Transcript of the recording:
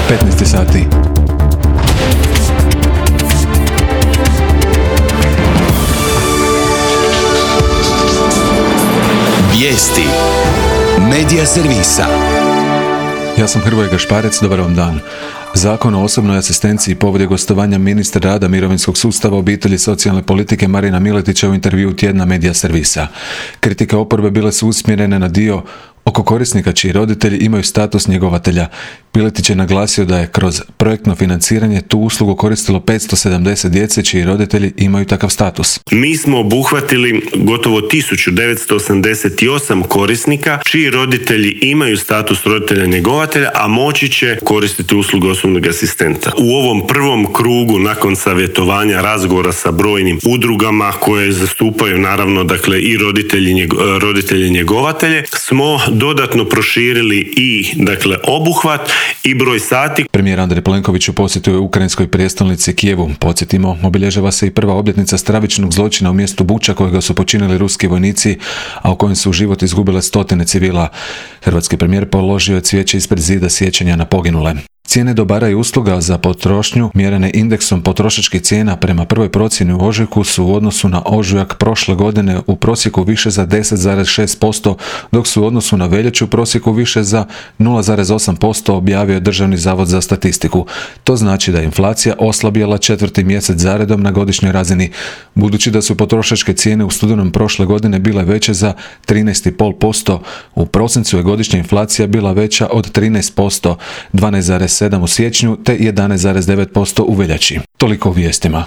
15 sati. Vijesti Medija servisa. Ja sam Hrvoje Gašparec, dobar vam dan. Zakon o osobnoj asistenciji povod je gostovanja ministra rada, mirovinskog sustava, obitelji i socijalne politike Marina Miletića u intervjuu tjedna Medija servisa. Kritike oporbe bile su usmjerene na dio oko korisnika čiji roditelji imaju status njegovatelja. Miletić je naglasio da je kroz projektno financiranje tu uslugu koristilo 570 djece čiji roditelji imaju takav status. Mi smo obuhvatili gotovo 1988 korisnika čiji roditelji imaju status roditelja njegovatelja, a moći će koristiti uslugu osobnog asistenta. U ovom prvom krugu, nakon savjetovanja, razgovora sa brojnim udrugama koje zastupaju naravno i roditelji njegovatelje, smo dodatno proširili i obuhvat i broj sati. Premijer Andrej Plenković u posjetu je ukrajinskoj prijestolnici Kijevu. Podsjetimo, obilježava se i prva obljetnica stravičnog zločina u mjestu Buča kojega su počinili ruski vojnici, a u kojem su život izgubile stotine civila. Hrvatski premijer položio je cvijeće ispred zida sjećanja na poginule. Cijene dobara i usluga za potrošnju mjerene indeksom potrošačkih cijena prema prvoj procjeni u ožujku su u odnosu na ožujak prošle godine u prosjeku više za 10,6%, dok su u odnosu na veljaču u prosjeku više za 0,8%, objavio je Državni zavod za statistiku. To znači da je inflacija oslabjela 4. mjesec zaredom na godišnjoj razini, budući da su potrošačke cijene u studenom prošle godine bile veće za 13,5%. U prosincu je godišnja inflacija bila veća od 13%, 12,7% u siječnju te 11,9% u veljači. Toliko u vijestima.